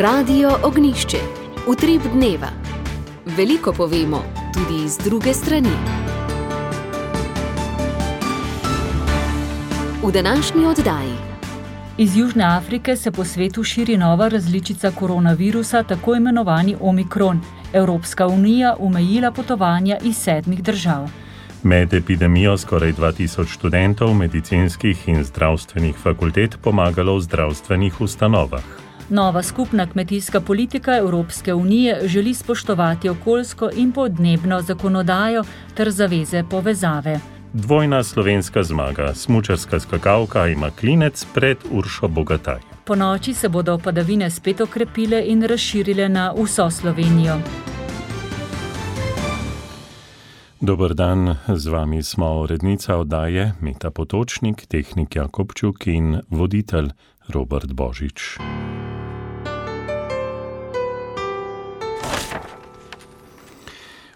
Radio Ognjišče. Utrip dneva. Veliko povemo, tudi z druge strani. V današnji oddaji. Iz Južne Afrike se po svetu širi nova različica koronavirusa, tako imenovani Omikron. Evropska unija omejila potovanja iz 7 držav. Med epidemijo skoraj 2000 študentov medicinskih in zdravstvenih fakultet pomagalo v zdravstvenih ustanovah. Nova skupna kmetijska politika Evropske unije želi spoštovati okoljsko in podnebno zakonodajo ter zaveze povezave. Dvojna slovenska zmaga, smučarska skakalka ima klinec pred Uršo Bogataj. Ponoči se bodo padavine spet okrepile in razširile na vso Slovenijo. Dober dan, z vami smo urednica oddaje Meta Potočnik, tehnik Jakobčuk in voditelj Robert Božič.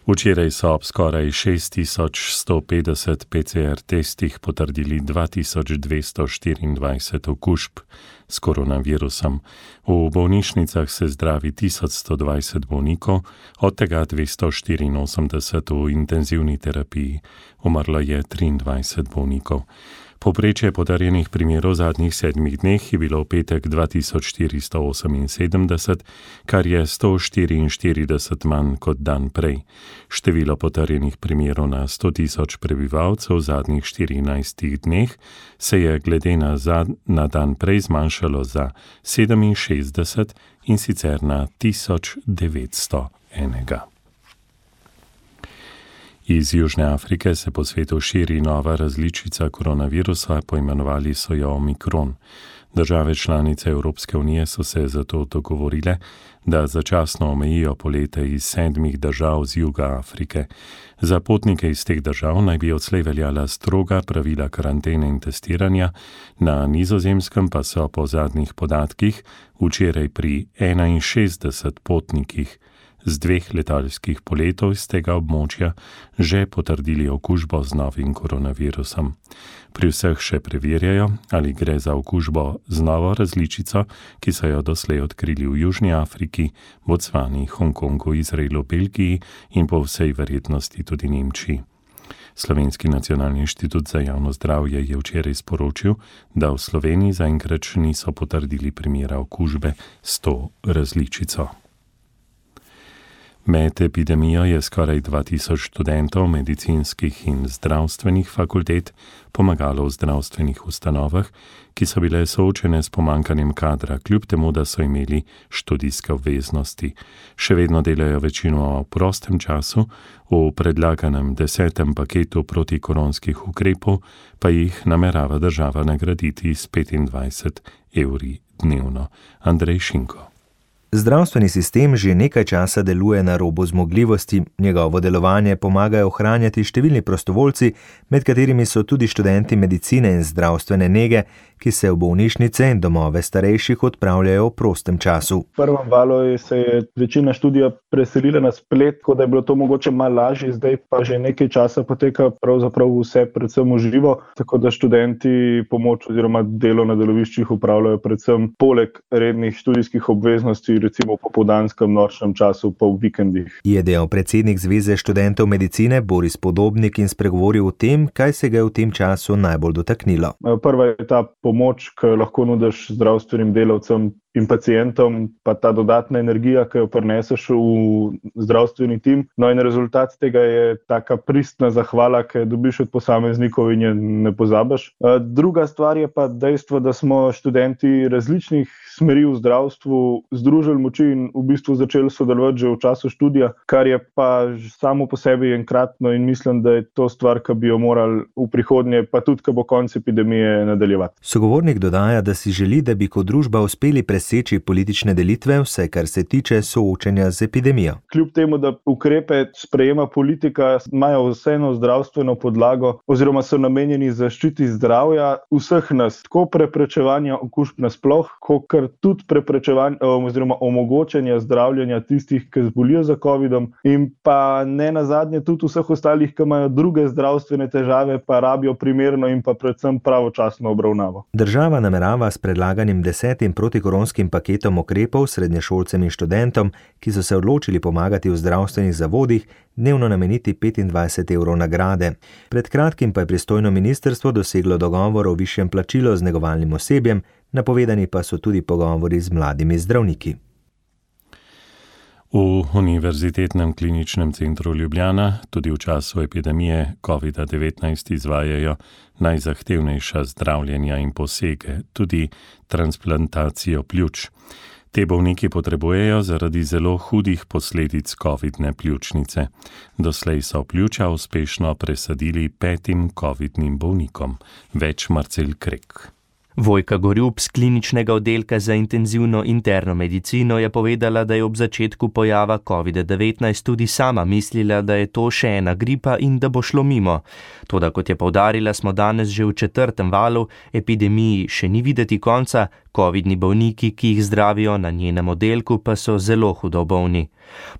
Včeraj so ob skoraj 6150 PCR testih potrdili 2224 okužb s koronavirusom. V bolnišnicah se zdravi 1120 bolnikov, od tega 284 v intenzivni terapiji. Umrlo je 23 bolnikov. Povprečje potrjenih primerov v zadnjih 7 dneh je bilo v petek 2478, kar je 144 manj kot dan prej. Število potrjenih primerov na 100 000 prebivalcev v zadnjih 14 dneh se je glede na dan prej zmanjšalo za 67 in sicer na 1901. Iz Južne Afrike se po svetu širi nova različica koronavirusa, poimenovali so jo Omikron. Države članice Evropske unije so se zato dogovorile, da začasno omejijo polete iz 7 držav z juga Afrike. Za potnike iz teh držav naj bi odslej veljala stroga pravila karantene in testiranja, na Nizozemskem pa so po zadnjih podatkih včeraj pri 61 potnikih z 2 letalskih poletov iz tega območja že potrdili okužbo z novim koronavirusom. Pri vseh še preverjajo, ali gre za okužbo z novo različico, ki so jo doslej odkrili v Južni Afriki, Bocvani, Hongkongu, Izraelu, Belgiji in po vsej verjetnosti tudi Nemčiji. Slovenski nacionalni inštitut za javno zdravje je včeraj sporočil, da v Sloveniji zaenkrat še niso potrdili primera okužbe s to različico. Med epidemijo je skoraj 2000 študentov medicinskih in zdravstvenih fakultet pomagalo v zdravstvenih ustanovah, ki so bile soočene s pomanjkanjem kadra, kljub temu, da so imeli študijske obveznosti. Še vedno delajo večino v prostem času, v predlaganem 10. paketu protikoronskih ukrepov pa jih namerava država nagraditi s 25 evri dnevno. Andrej Šinko. Zdravstveni sistem že nekaj časa deluje na robu zmogljivosti, njegovo delovanje pomagajo ohranjati številni prostovoljci, med katerimi so tudi študenti medicine in zdravstvene nege, ki se v bolnišnice in domove starejših odpravljajo v prostem času. V prvem valu se je večina študija preselila na splet, tako da je bilo to mogoče malo lažje, zdaj pa že nekaj časa poteka pravzaprav vse predvsem v živo, tako da študenti pomoč oziroma delo na deloviščih upravljajo predvsem poleg rednih študijskih obveznosti, recimo v popoldanskem nočnem času pa v vikendih. Je dejal predsednik Zveze študentov medicine Boris Podobnik in spregovoril o tem, kaj se ga je v tem času najbolj dotaknilo. Prva je ta pomoč, ki jo lahko nudiš zdravstvenim delavcem in pacientom, pa ta dodatna energija, ki jo prineseš v zdravstveni tim. No in rezultat tega je taka pristna zahvala, ki jo dobiš od posameznikov in je ne pozabiš. Druga stvar je pa dejstvo, da smo študenti različnih smeri v zdravstvu združili moči in v bistvu začeli sodelovati že v času študija, kar je pa samo po sebi enkratno in mislim, da je to stvar, ki bi jo morali v prihodnje, pa tudi, ko bo konec epidemije, nadaljevati. Sogovornik dodaja, da si želi, da bi kot družba uspeli preseči politične delitve, vse kar se tiče soočenja z epidemijo. Kljub temu, da ukrepe sprejema politika, imajo vseeno zdravstveno podlago oziroma so namenjeni zaščiti zdravja vseh nas, tako preprečevanja okužb nasploh, kot tudi preprečevanja oziroma omogočanja zdravljenja tistih, ki zbolijo za covidom in pa ne nazadnje tudi vseh ostalih, ki imajo druge zdravstvene težave, pa rabijo primerno in pa predvsem pravočasno obravnavo. Država namerava s predlaganim 10. protikoronskim milijonskim paketom ukrepov srednješolcem in študentom, ki so se odločili pomagati v zdravstvenih zavodih, dnevno nameniti 25 evrov nagrade. Pred kratkim pa je pristojno ministrstvo doseglo dogovor o višjem plačilu z negovalnim osebjem, napovedani pa so tudi pogovori z mladimi zdravniki. V Univerzitetnem kliničnem centru Ljubljana tudi v času epidemije COVID-19 izvajajo najzahtevnejša zdravljenja in posege, tudi transplantacijo pljuč. Te bolniki potrebujejo zaradi zelo hudih posledic COVID-ne pljučnice. Doslej so pljuča uspešno presadili 5 COVID-nim bolnikom. Več Marcel Krek. Vojka Gorjup z kliničnega oddelka za intenzivno interno medicino je povedala, da je ob začetku pojava COVID-19 tudi sama mislila, da je to še ena gripa in da bo šlo mimo. Toda, kot je poudarila, smo danes že v 4. valu, epidemiji še ni videti konca, COVID-ni bolniki, ki jih zdravijo na njenem oddelku, pa so zelo hudo bolni.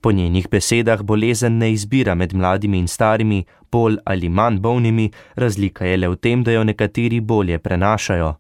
Po njenih besedah bolezen ne izbira med mladimi in starimi, bolj ali manj bolnimi, razlika je le v tem, da jo nekateri bolje prenašajo.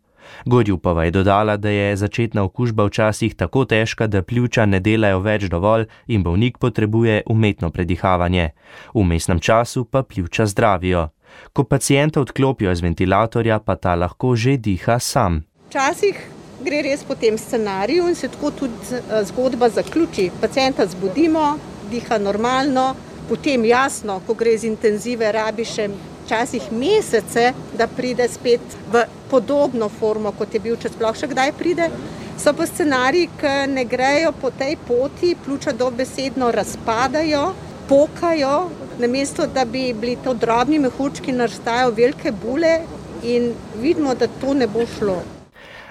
Gorjupova je dodala, da je začetna okužba včasih tako težka, da pljuča ne delajo več dovolj in bolnik potrebuje umetno predihavanje. V vmesnem času pa pljuča zdravijo. Ko pacienta odklopijo iz ventilatorja, pa ta lahko že diha sam. Včasih gre res po tem scenariju in se tako tudi zgodba zaključi. Pacienta zbudimo, diha normalno, potem jasno, ko gre z intenzive, rabi še včasih mesece, da pride spet v podobno formo, kot je bil, če sploh še kdaj pride. So pa scenariji, ki ne grejo po tej poti, pljuča dobesedno razpadajo, pokajo, namesto da bi bili to drobni mehurčki, nastajajo velike bule in vidimo, da to ne bo šlo.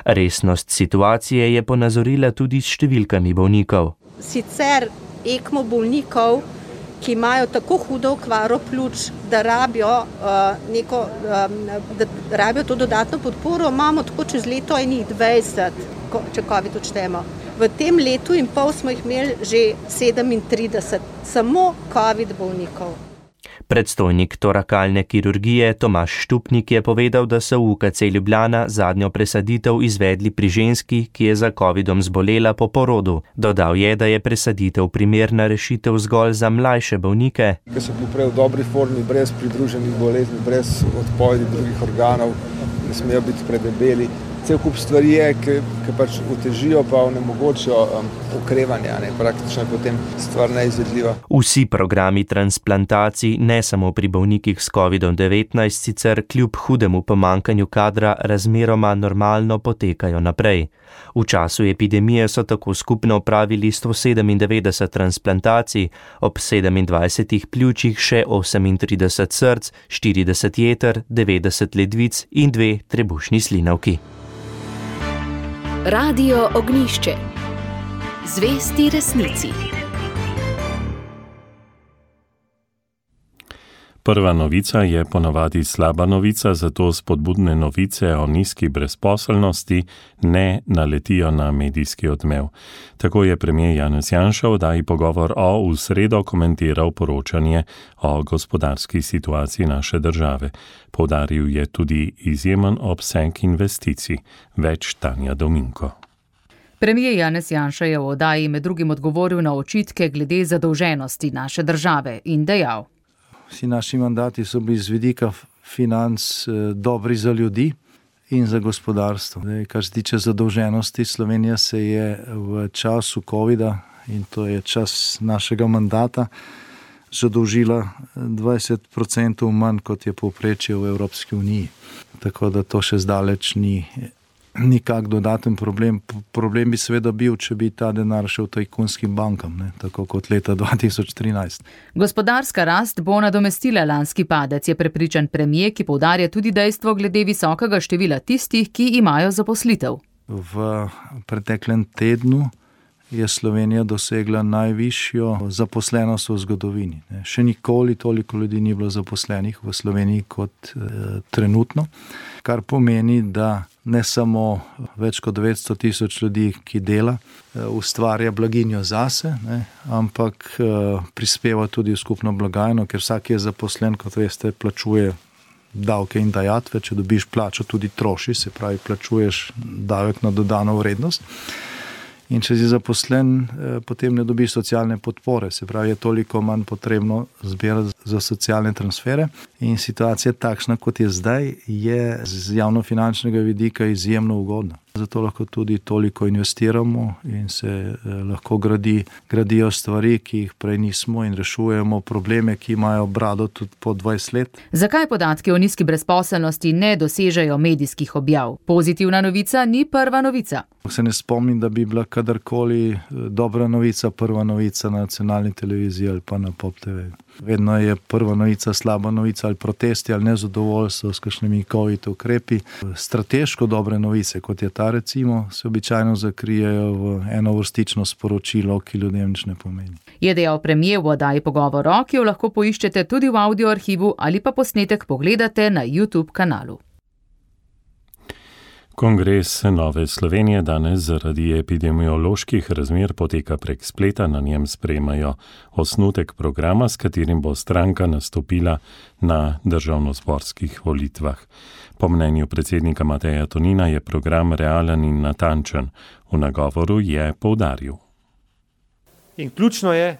Resnost situacije je ponazorila tudi s številkami bolnikov. Sicer ECMO bolnikov, ki imajo tako hudo okvaro pljuč, da rabijo to dodatno podporo, imamo tako čez leto enih 20, če COVID odštejemo. V tem letu in pol smo jih imeli že 37, samo COVID bolnikov. Predstojnik torakalne kirurgije Tomaž Štupnik je povedal, da so v UKC Ljubljana zadnjo presaditev izvedli pri ženski, ki je za COVID-om zbolela po porodu. Dodal je, da je presaditev primerna rešitev zgolj za mlajše bolnike, ki so bili v dobri formi, brez pridruženih bolezni, brez odpovedi drugih organov, ne smejo biti predebeli. Cel kup stvari je, ki pač otežijo pa onemogočijo okrevanje, praktično je potem stvar neizvedljiva. Vsi programi transplantacij, ne samo pri bolnikih s COVID-19, sicer kljub hudemu pomanjkanju kadra razmeroma normalno potekajo naprej. V času epidemije so tako skupno opravili 197 transplantacij, ob 27 pljučih še 38 src, 40 jeter, 90 ledvic in 2 trebušni slinavki. Radio Ognjišče. Zvesti resnici. Prva novica je ponavadi slaba novica, zato spodbudne novice o nizki brezposelnosti ne naletijo na medijski odmev. Tako je premier Janez Janša v oddaji Pogovor v sredo komentiral poročanje o gospodarski situaciji naše države. Poudaril je tudi izjemen obseg investicij. Več Tanja Dominko. Premier Janez Janša je v oddaji med drugim odgovoril na očitke glede zadolženosti naše države in dejal: Vsi naši mandati so bili z vidika financ dobri za ljudi in za gospodarstvo. Kar se tiče zadolženosti, Slovenija se je v času COVID-a, in to je čas našega mandata, zadolžila 20% manj, kot je povprečje v Evropski uniji. Tako da to še zdaleč ni nikak dodaten problem. Problem bi seveda bil, če bi ta denar šel tajkunskim bankam, tako kot leta 2013. Gospodarska rast bo nadomestila lanski padec, je prepričan premier, ki poudarja tudi dejstvo glede visokega števila tistih, ki imajo zaposlitev. V preteklem tednu je Slovenija dosegla najvišjo zaposlenost v zgodovini. Še nikoli toliko ljudi ni bilo zaposlenih v Sloveniji kot trenutno, kar pomeni, da ne samo več kot 900 tisoč ljudi, ki dela, ustvarja blaginjo zase, ampak prispeva tudi v skupno blagajno, ker vsak je zaposlen, kot veste, plačuje davke in dajatve. Če dobiš plačo, tudi troši, se pravi, plačuješ davek na dodano vrednost. In če si zaposlen, potem ne dobiš socialne podpore, se pravi, je toliko manj potrebno zbirati za socialne transfere. In situacija takšna, kot je zdaj, je z javnofinančnega vidika izjemno ugodna. Zato lahko tudi toliko investiramo in se lahko gradijo stvari, ki jih prej nismo, in rešujemo probleme, ki imajo brado tudi po 20 let. Zakaj podatki o nizki brezposelnosti ne dosežejo medijskih objav? Pozitivna novica ni prva novica. Se ne spomnim, da bi bila kadarkoli dobra novica prva novica na nacionalni televiziji ali pa na Pop TV. Vedno je prva novica slaba novica ali protesti ali nezadovoljstvo s kakšnimi COVID ukrepi. Strateško dobre novice, kot je ta recimo, se običajno zakrijejo v enovrstično sporočilo, ki ljudem nič ne pomeni. Je dejal premier v oddaji Pogovor, ki jo lahko poiščete tudi v audio arhivu ali pa posnetek pogledate na YouTube kanalu. Kongres Nove Slovenije danes zaradi epidemioloških razmer poteka prek spleta, na njem sprejemajo osnutek programa, s katerim bo stranka nastopila na državnozborskih volitvah. Po mnenju predsednika Mateja Tonina je program realen in natančen. V nagovoru je poudaril. In ključno je,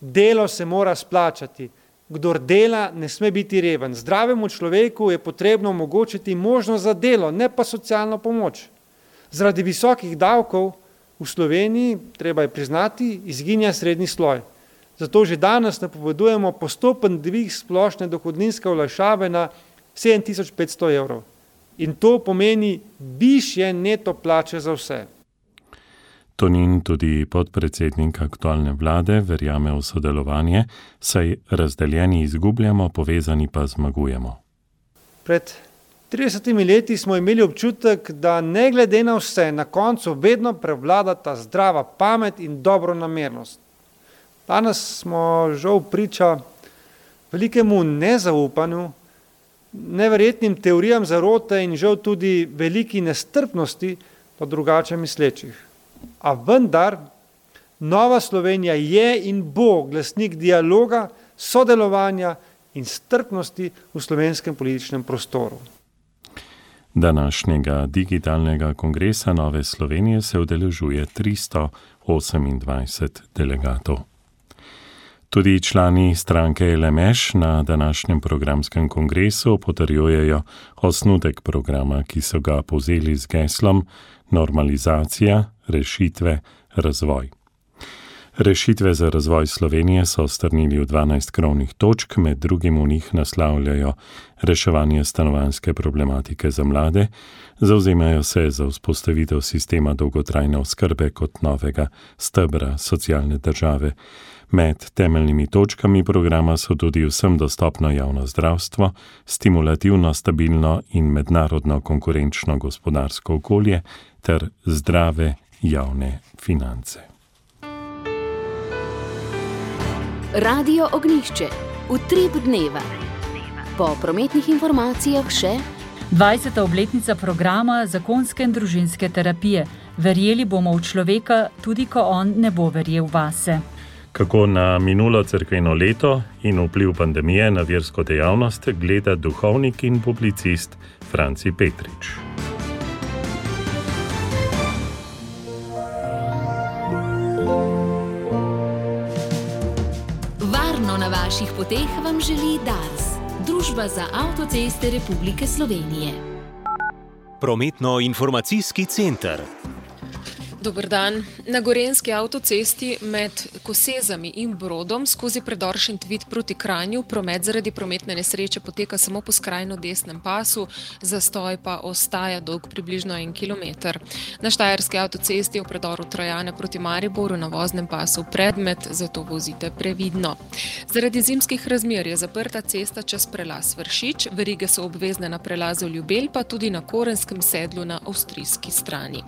delo se mora splačati. Kdor dela, ne sme biti reven. Zdravemu človeku je potrebno omogočiti možnost za delo, ne pa socialno pomoč. Zaradi visokih davkov v Sloveniji, treba je priznati, izginja srednji sloj. Zato že danes napovedujemo postopen dvig splošne dohodninske olajšave na 7500 evrov. In to pomeni višje neto plače za vse. Tonin, tudi podpredsednik aktualne vlade, verjame v sodelovanje, saj razdeljeni izgubljamo, povezani pa zmagujemo. Pred 30 leti smo imeli občutek, da ne glede na vse, na koncu vedno prevladata zdrava pamet in dobronamernost. Danes smo žal priča velikemu nezaupanju, neverjetnim teorijam zarote in žal tudi veliki nestrpnosti po drugače mislečih. A vendar, Nova Slovenija je in bo glasnik dialoga, sodelovanja in strpnosti v slovenskem političnem prostoru. Današnjega digitalnega kongresa Nove Slovenije se udeležuje 328 delegatov. Tudi člani stranke LMŠ na današnjem programskem kongresu potrjujejo osnutek programa, ki so ga povzeli z geslom Normalizacija, rešitve, razvoj. Rešitve za razvoj Slovenije so strnili v 12 krovnih točk, med drugim v njih naslavljajo reševanje stanovanjske problematike za mlade, zavzemajo se za vzpostavitev sistema dolgotrajne oskrbe kot novega stebra socialne države. Med temeljnimi točkami programa so tudi vsem dostopno javno zdravstvo, stimulativno, stabilno in mednarodno konkurenčno gospodarsko okolje ter zdrave javne finance. Radio Ognjišče. Utrip dneva. Po prometnih informacijah še 20. obletnica programa zakonske in družinske terapije. Verjeli bomo v človeka, tudi ko on ne bo verjel vase. Kako na minulo cerkveno leto in vpliv pandemije na versko dejavnost gleda duhovnik in publicist Franci Petrič. Varno na vaših poteh vam želi Dars, Družba za avtoceste Republike Slovenije. Prometno-informacijski center. Dober dan. Na Gorenjski avtocesti med Kosezami in Brodom skozi predor Šentvid proti Kranju promet zaradi prometne nesreče poteka samo po skrajno desnem pasu, zastoj pa ostaja dolg približno 1 kilometer. Na Štajerski avtocesti v predoru Trojane proti Mariboru na voznem pasu predmet, zato vozite previdno. Zaradi zimskih razmer je zaprta cesta čez prelaz Vršič, verige so obvezne na prelazu Ljubelj, pa tudi na Korenskem sedlu na avstrijski strani.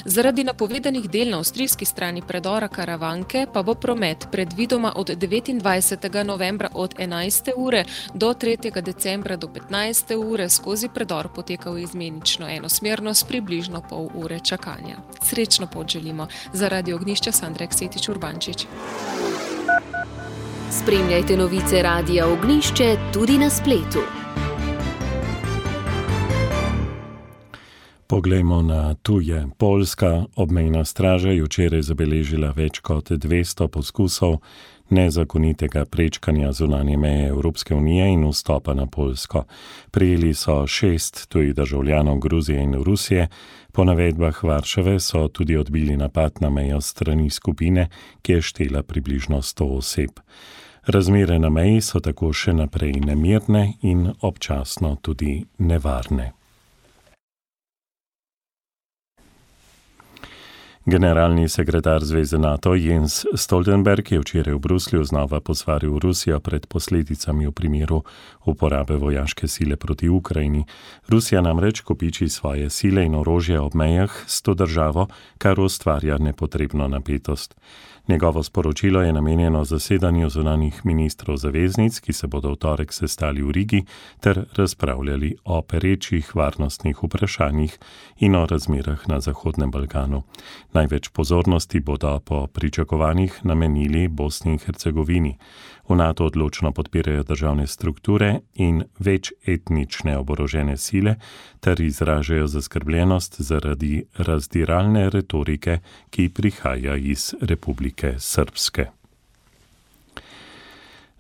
Zaradi napovedanih del na avstrijski strani predora Karavanke pa bo promet predvidoma od 29. novembra od 11. ure do 3. decembra do 15. ure skozi predor potekal izmenično enosmerno s približno pol ure čakanja. Srečno pot želimo. Za Radio Ognjišče Sandra Eksetič Urbančič. Spremljajte novice Radia Ognjišče tudi na spletu. Poglejmo na tuje. Poljska obmejna straža je včeraj zabeležila več kot 200 poskusov nezakonitega prečkanja zunanje meje Evropske unije in vstopa na Poljsko. Prijeli so 6 tujih državljanov Gruzije in Rusije. Po navedbah Varšave so tudi odbili napad na mejo strani skupine, ki je štela približno 100 oseb. Razmere na meji so tako še naprej nemirne in občasno tudi nevarne. Generalni sekretar Zveze NATO Jens Stoltenberg je včeraj v Bruslju znova posvaril Rusijo pred posledicami v primeru uporabe vojaške sile proti Ukrajini. Rusija namreč kopiči svoje sile in orožje ob mejah s to državo, kar ustvarja nepotrebno napetost. Njegovo sporočilo je namenjeno zasedanju zunanjih ministrov zaveznic, ki se bodo v torek sestali v Rigi ter razpravljali o perečih varnostnih vprašanjih in o razmerah na Zahodnem Balkanu. Največ pozornosti bodo po pričakovanjih namenili Bosni in Hercegovini. V NATO odločno podpirajo državne strukture in večetnične oborožene sile ter izražajo zaskrbljenost zaradi razdiralne retorike, ki prihaja iz Republike Srpske.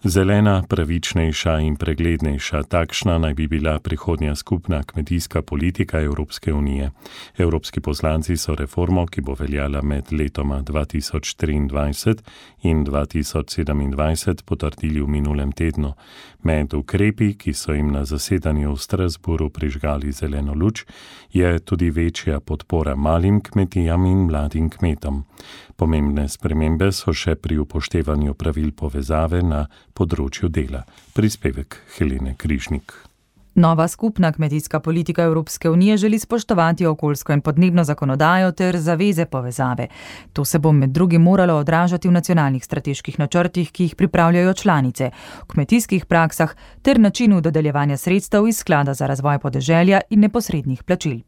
Zelena, pravičnejša in preglednejša, takšna naj bi bila prihodnja skupna kmetijska politika Evropske unije. Evropski poslanci so reformo, ki bo veljala med letoma 2023 in 2027, potrdili v minulem tednu. Med ukrepi, ki so jim na zasedanju v Strasbourgu prižgali zeleno luč, je tudi večja podpora malim kmetijam in mladim kmetom. Pomembne spremembe so še pri upoštevanju pravil povezave na področju dela. Prispevek Helene Križnik. Nova skupna kmetijska politika Evropske unije želi spoštovati okoljsko in podnebno zakonodajo ter zaveze povezave. To se bo med drugim moralo odražati v nacionalnih strateških načrtih, ki jih pripravljajo članice, v kmetijskih praksah ter načinu dodeljevanja sredstev iz sklada za razvoj podeželja in neposrednih plačil.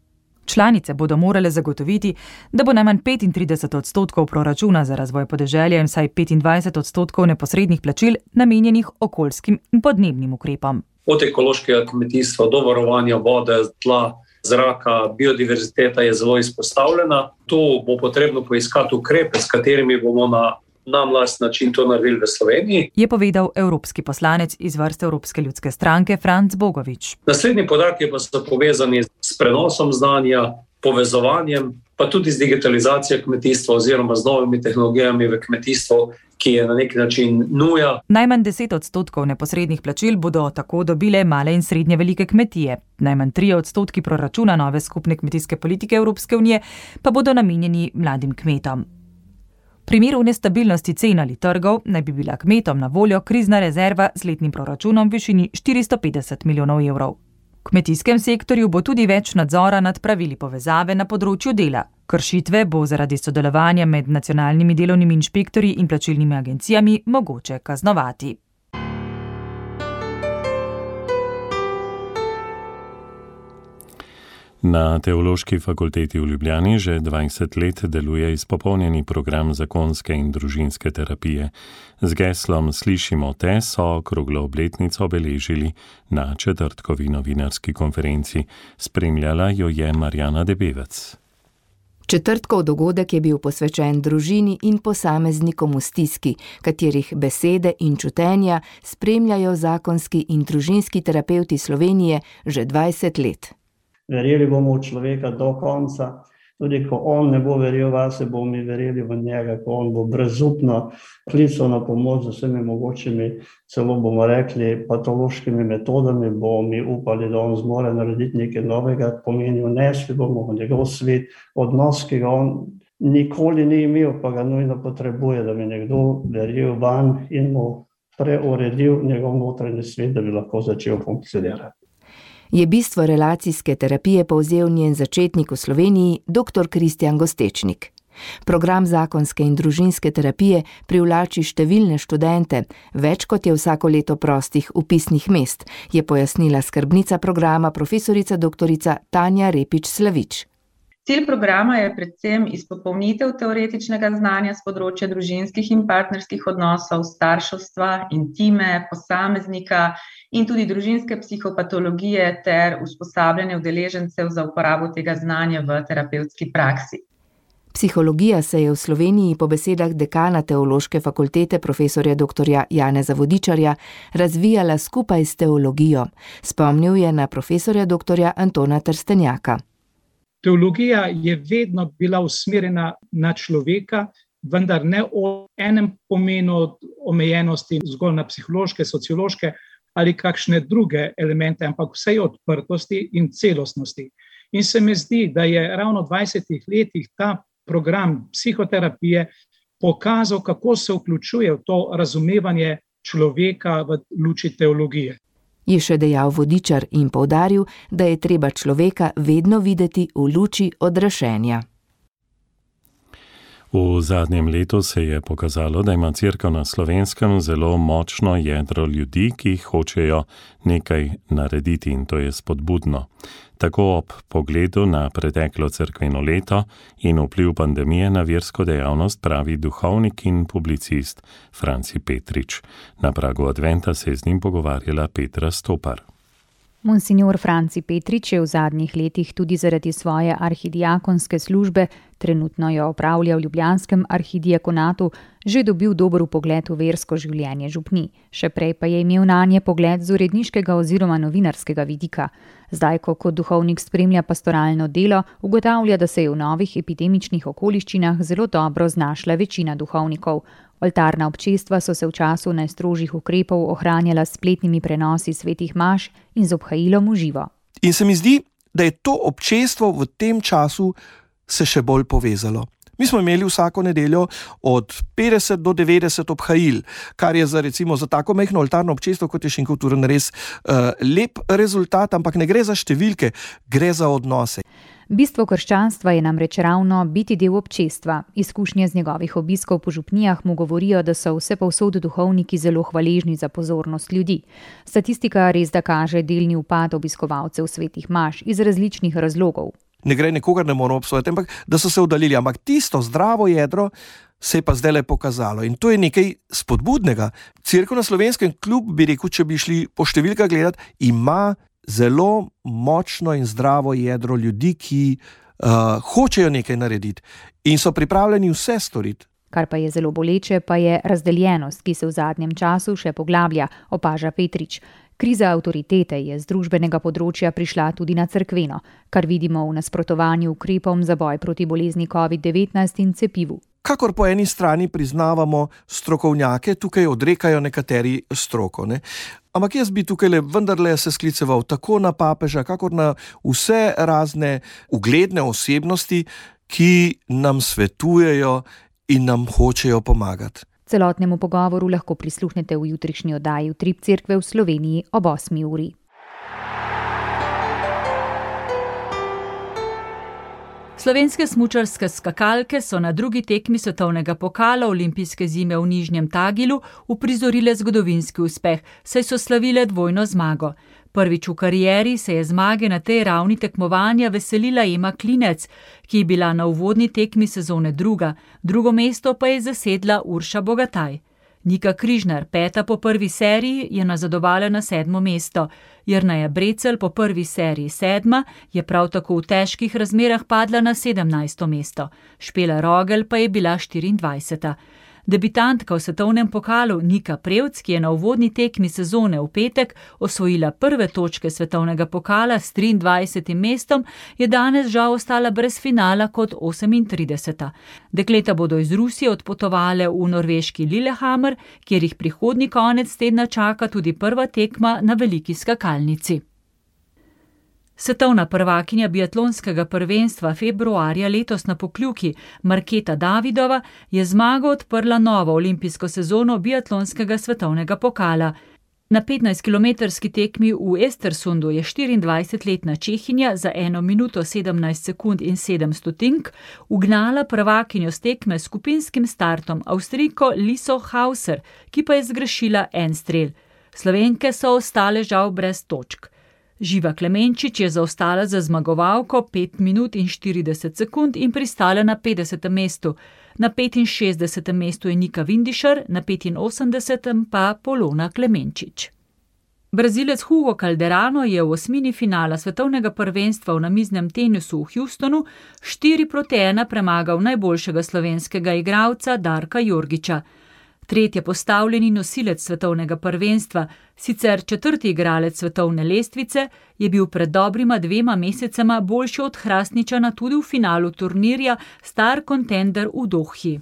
Članice bodo morale zagotoviti, da bo najmanj 35% proračuna za razvoj podeželja in vsaj 25% neposrednih plačil namenjenih okoljskim in podnebnim ukrepom. Od ekološkega kmetijstva do varovanja vode, tla, zraka, biodiverziteta je zelo izpostavljena. Tu bo potrebno poiskati ukrepe, s katerimi bomo na nam last način to naredili v Sloveniji, je povedal evropski poslanec iz vrste Evropske ljudske stranke Franc Bogovič. Naslednji podatki pa so povezani s prenosom znanja, povezovanjem, pa tudi z digitalizacijo kmetijstva oziroma z novimi tehnologijami v kmetijstvu, ki je na nek način nuja. Najmanj 10% neposrednih plačil bodo tako dobile male in srednje velike kmetije. Najmanj 3% proračuna nove skupne kmetijske politike Evropske unije pa bodo namenjeni mladim kmetom. V primeru nestabilnosti cen ali trgov naj bi bila kmetom na voljo krizna rezerva z letnim proračunom v višini 450 milijonov evrov. V kmetijskem sektorju bo tudi več nadzora nad pravili povezave na področju dela. Kršitve bo zaradi sodelovanja med nacionalnimi delovnimi inšpektorji in plačilnimi agencijami mogoče kaznovati. Na Teološki fakulteti v Ljubljani že 20 let deluje izpopolnjeni program zakonske in družinske terapije. Z geslom Slišimo te so okroglo obletnico obeležili na četrtkovi novinarski konferenci. Spremljala jo je Marjana Debevec. Četrtkov dogodek je bil posvečen družini in posameznikom v stiski, katerih besede in čutenja spremljajo zakonski in družinski terapevti Slovenije že 20 let. Verjeli bomo v človeka do konca, tudi ko on ne bo verjel vase, bomo mi verjeli v njega, ko on bo brezupno klical na pomoč z vsemi mogočimi, celo bomo rekli patološkimi metodami, bomo mi upali, da on zmore narediti nekaj novega, pomeni vnesli bomo v njegov svet, odnos, ki ga on nikoli ni imel, pa ga nujno potrebuje, da bi nekdo verjel van in mu preuredil njegov notranji svet, da bi lahko začel funkcionirati. Je bistvo relacijske terapije povzel njen začetnik v Sloveniji, dr. Kristjan Gostečnik. Program zakonske in družinske terapije privlači številne študente, več kot je vsako leto prostih vpisnih mest, je pojasnila skrbnica programa profesorica dr. Tanja Repič Slavič. Cilj programa je predvsem izpopolnitev teoretičnega znanja s področja družinskih in partnerskih odnosov, starševstva, intime, posameznika in tudi družinske psihopatologije ter usposabljanje udeležencev za uporabo tega znanja v terapevtski praksi. Psihologija se je v Sloveniji po besedah dekana Teološke fakultete profesorja dr. Janeza Vodičarja razvijala skupaj s teologijo. Spomnil je na profesorja dr. Antona Trstenjaka. Teologija je vedno bila usmerjena na človeka, vendar ne v enem pomenu omejenosti zgolj na psihološke, sociološke ali kakšne druge elemente, ampak vsej odprtosti in celostnosti. In se mi zdi, da je ravno v 20 letih ta program psihoterapije pokazal, kako se vključuje v to razumevanje človeka v luči teologije. Je še dejal Vodičar in poudaril, da je treba človeka vedno videti v luči odrašenja. V zadnjem letu se je pokazalo, da ima Cerkev na Slovenskem zelo močno jedro ljudi, ki hočejo nekaj narediti, in to je spodbudno. Tako ob pogledu na preteklo cerkveno leto in vpliv pandemije na versko dejavnost pravi duhovnik in publicist Franci Petrič. Na pragu adventa se je z njim pogovarjala Petra Stopar. Monsignor Franci Petrič je v zadnjih letih tudi zaradi svoje arhidiakonske službe, trenutno jo opravlja v ljubljanskem arhidiakonatu, že dobil dober vpogled v versko življenje župni. Še prej pa je imel nanje pogled z uredniškega oziroma novinarskega vidika. Zdaj, ko kot duhovnik spremlja pastoralno delo, ugotavlja, da se je v novih epidemičnih okoliščinah zelo dobro znašla večina duhovnikov. Oltarna občestva so se v času najstrožjih ukrepov ohranjala s spletnimi prenosi svetih maš in z obhajilom v živo. In se mi zdi, da je to občestvo v tem času se še bolj povezalo. Mi smo imeli vsako nedeljo od 50 do 90 obhajil, kar je za tako majhno oltarno občestvo, kot je Šenkulturen, res lep rezultat, ampak ne gre za številke, gre za odnose. Bistvo krščanstva je namreč ravno biti del občestva. Izkušnje z njegovih obiskov po župnijah mu govorijo, da so vse povsod duhovniki zelo hvaležni za pozornost ljudi. Statistika res da kaže delni upad obiskovalcev svetih maš iz različnih razlogov. Ne gre, nikogar ne moramo obsojati, ampak da so se oddaljili. Ampak tisto zdravo jedro se je pa zdaj le pokazalo. In to je nekaj spodbudnega. Cerkev na Slovenskem, kljub bi rekel, če bi šli po številkah gledati, ima zelo močno in zdravo jedro ljudi, ki hočejo nekaj narediti in so pripravljeni vse storiti. Kar pa je zelo boleče, pa je razdeljenost, ki se v zadnjem času še poglablja, opaža Petrič. Kriza avtoritete je z družbenega področja prišla tudi na cerkveno, kar vidimo v nasprotovanju ukrepom za boj proti bolezni COVID-19 in cepivu. Kakor po eni strani priznavamo strokovnjake, tukaj odrekajo nekateri stroko, ne? Ampak jaz bi tukaj vendarle se skliceval tako na papeža, kakor na vse razne ugledne osebnosti, ki nam svetujejo in nam hočejo pomagati. Celotnemu pogovoru lahko prisluhnete v jutrišnji oddaji Utrip Cerkve v Sloveniji ob 8. uri. Slovenske smučarske skakalke so na drugi tekmi svetovnega pokala olimpijske zime v Nižnjem Tagilu uprizorile zgodovinski uspeh, saj so slavile dvojno zmago. Prvič v karieri se je zmage na tej ravni tekmovanja veselila Ema Klinec, ki je bila na uvodni tekmi sezone druga, drugo mesto pa je zasedla Urša Bogataj. Nika Križnar, peta po prvi seriji, je nazadovala na 7. mesto. Jerneja Brecelj po prvi seriji 7. je prav tako v težkih razmerah padla na 17. mesto. Špela Rogel pa je bila 24. Debitantka v svetovnem pokalu Nika Prevc, ki je na uvodni tekmi sezone v petek osvojila prve točke svetovnega pokala s 23. mestom, je danes žal ostala brez finala kot 38. Dekleta bodo iz Rusije odpotovale v norveški Lillehammer, kjer jih prihodnji konec tedna čaka tudi prva tekma na veliki skakalnici. Svetovna prvakinja biatlonskega prvenstva februarja letos na Pokljuki, Marketa Davidova, je zmago odprla novo olimpijsko sezono biatlonskega svetovnega pokala. Na 15-kilometrski tekmi v Estersundu je 24-letna Čehinja za 1 minuto 17 sekund in 7 stotink ugnala prvakinjo s tekme s skupinskim startom Avstrijko Liso Hauser, ki pa je zgrešila en strel. Slovenke so ostale žal brez točk. Živa Klemenčič je zaostala za zmagovalko 5 minut in 40 sekund in pristala na 50. mestu. Na 65. mestu je Nika Vindišar, na 85. pa Polona Klemenčič. Brazilec Hugo Calderano je v osmini finala svetovnega prvenstva v namiznem tenisu v Houstonu 4-1 premagal najboljšega slovenskega igralca Darka Jorgiča. Tretji postavljeni nosilec svetovnega prvenstva, sicer 4. igralec svetovne lestvice, je bil pred dobrima 2 mesecema boljši od Hrastničana tudi v finalu turnirja Star Contender v Dohi.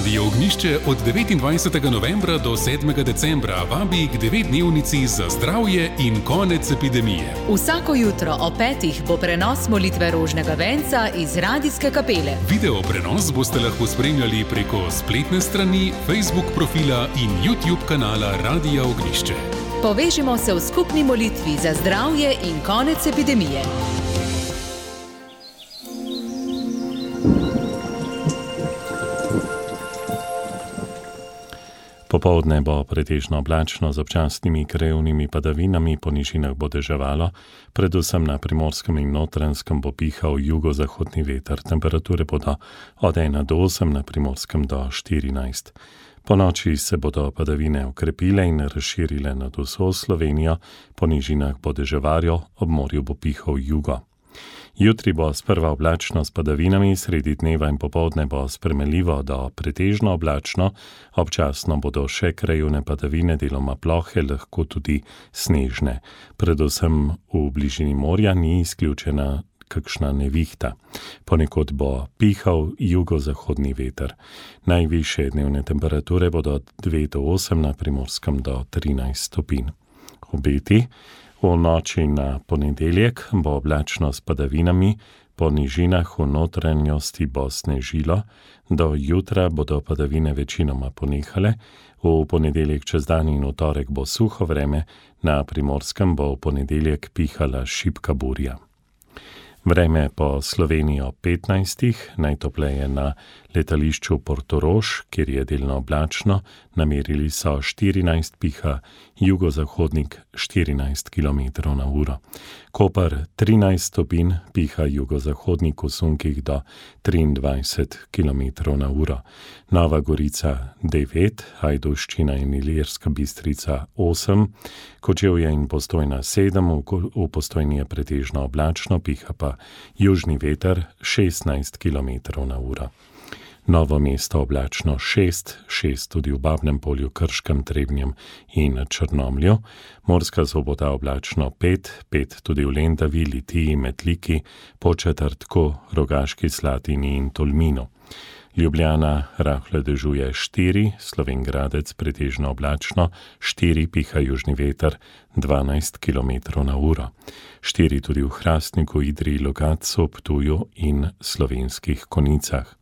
Radio Ognišče od 29. novembra do 7. decembra vabi k 9-dnevnici za zdravje in konec epidemije. Vsako jutro o 5. bo prenos molitve rožnega venca iz radijske kapele. Video prenos boste lahko spremljali preko spletne strani, Facebook profila in YouTube kanala Radia Ognišče. Povežimo se v skupni molitvi za zdravje in konec epidemije. Popoldne bo pretežno oblačno z občasnimi krajevnimi padavinami, po nižinah bo deževalo, predvsem na Primorskem in Notranjskem bo pihal jugozahodni veter. Temperature bodo od 1 do 8, na Primorskem do 14. Po noči se bodo padavine okrepile in razširile nad vso Slovenijo, po nižinah bo deževarjo, ob morju bo pihal jugo. Jutri bo sprva oblačno s padavinami, sredi dneva in popoldne bo spremenljivo do pretežno oblačno, občasno bodo še krajevne padavine, deloma plohe, lahko tudi snežne. Predvsem v bližini morja ni izključena kakšna nevihta. Ponekod bo pihal jugozahodni veter. Najvišje dnevne temperature bodo od 2 do 8, na Primorskem do 13 stopinj. Obeti. V noči na ponedeljek bo oblačno s padavinami, po nižinah v notranjosti bo snežilo, do jutra bodo padavine večinoma ponehale, v ponedeljek čez dan in v torek bo suho vreme, na Primorskem bo v ponedeljek pihala šibka burja. Vreme po Sloveniji ob 15, najtopleje na letališču Portorož, kjer je delno oblačno, namerili so 14, piha jugozahodnik 14 km na uro. Koper 13 stopinj, piha jugozahodnik v sunkih do 23 km na uro. Nova Gorica 9, Ajdovščina in Ilirska Bistrica 8, Kočevje in Postojna 7, v Postojni je pretežno oblačno, piha pa južni veter 16 km na uro. Novo Mesto oblačno 6 tudi v Babnem Polju, Krškem, Trebnjem in Črnomlju. Murska Sobota oblačno 5 tudi v Lendavi, Litiji, Metliki, Podčetrtku, Rogaški Slatini in Tolminu. Ljubljana rahle dežuje 4, Slovenj Gradec pretežno oblačno 4, piha južni veter 12 km na uro. 4 tudi v Hrastniku, Idriji, Logatcu, Ptuju in Slovenskih Konicah.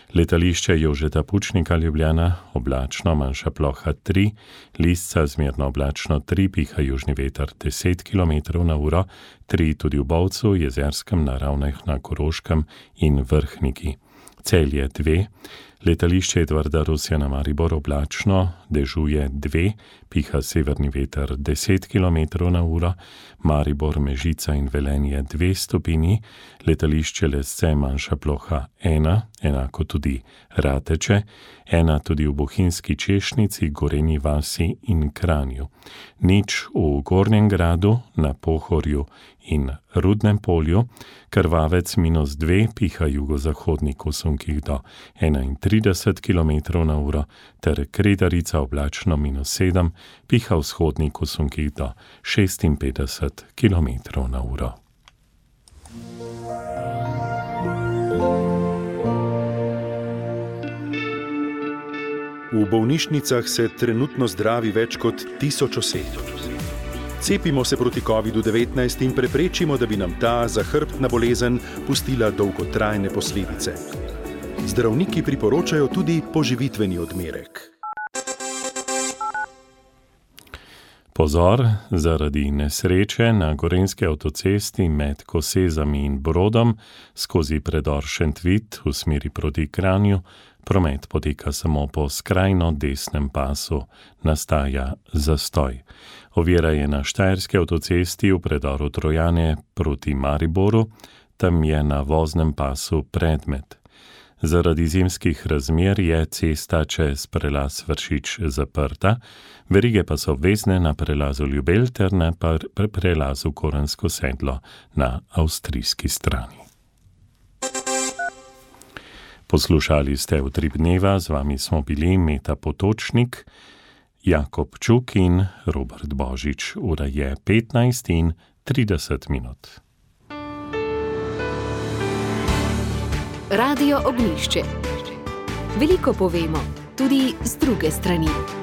Letališče Jožeta Pučnika Ljubljana oblačno, manjša ploha 3, Lisca zmerno oblačno 3, piha južni veter 10 km na uro, 3 tudi v Bovcu, Jezerskem, na Ravnah na Koroškem in Vrhniki. Celje 2, letališče Edvarda Rusja na Maribor oblačno, dežuje 2, piha severni veter 10 km na uro, Maribor, Mežica in Velenje 2 stopinji, letališče Lesce manjša ploha 1, enako tudi Rateče, 1 tudi v Bohinjski Češnici, Gorenji vasi in Kranju. 0 v Gornjem Gradu, na Pohorju in Rudnem Polju, Krvavec -2, piha jugozahodnik v sunkih do 31 km na uro, ter Kredarica oblačno -7, piha vzhodnik v sunkih do 56 km na uro. V bolnišnicah se trenutno zdravi več kot 1000 oseb. Cepimo se proti COVID-19 in preprečimo, da bi nam ta zahrbtna bolezen pustila dolgotrajne posledice. Zdravniki priporočajo tudi poživitveni odmerek. Pozor, zaradi nesreče na gorenjski avtocesti med Kosezami in Brodom skozi predor Šentvid v smeri proti Kranju promet poteka samo po skrajno desnem pasu, nastaja zastoj. Ovira je na štajerski avtocesti v predoru Trojane proti Mariboru, tam je na voznem pasu predmet. Zaradi zimskih razmer je cesta čez prelaz Vršič zaprta, verige pa so obvezne na prelazu Ljubelj ter na prelazu Korensko sedlo na avstrijski strani. Poslušali ste Utrip dneva, z vami smo bili Meta Potočnik, Jakob Čuk in Robert Božič. Ura je 15:30. Radio Ognjišče. Veliko povemo, tudi z druge strani.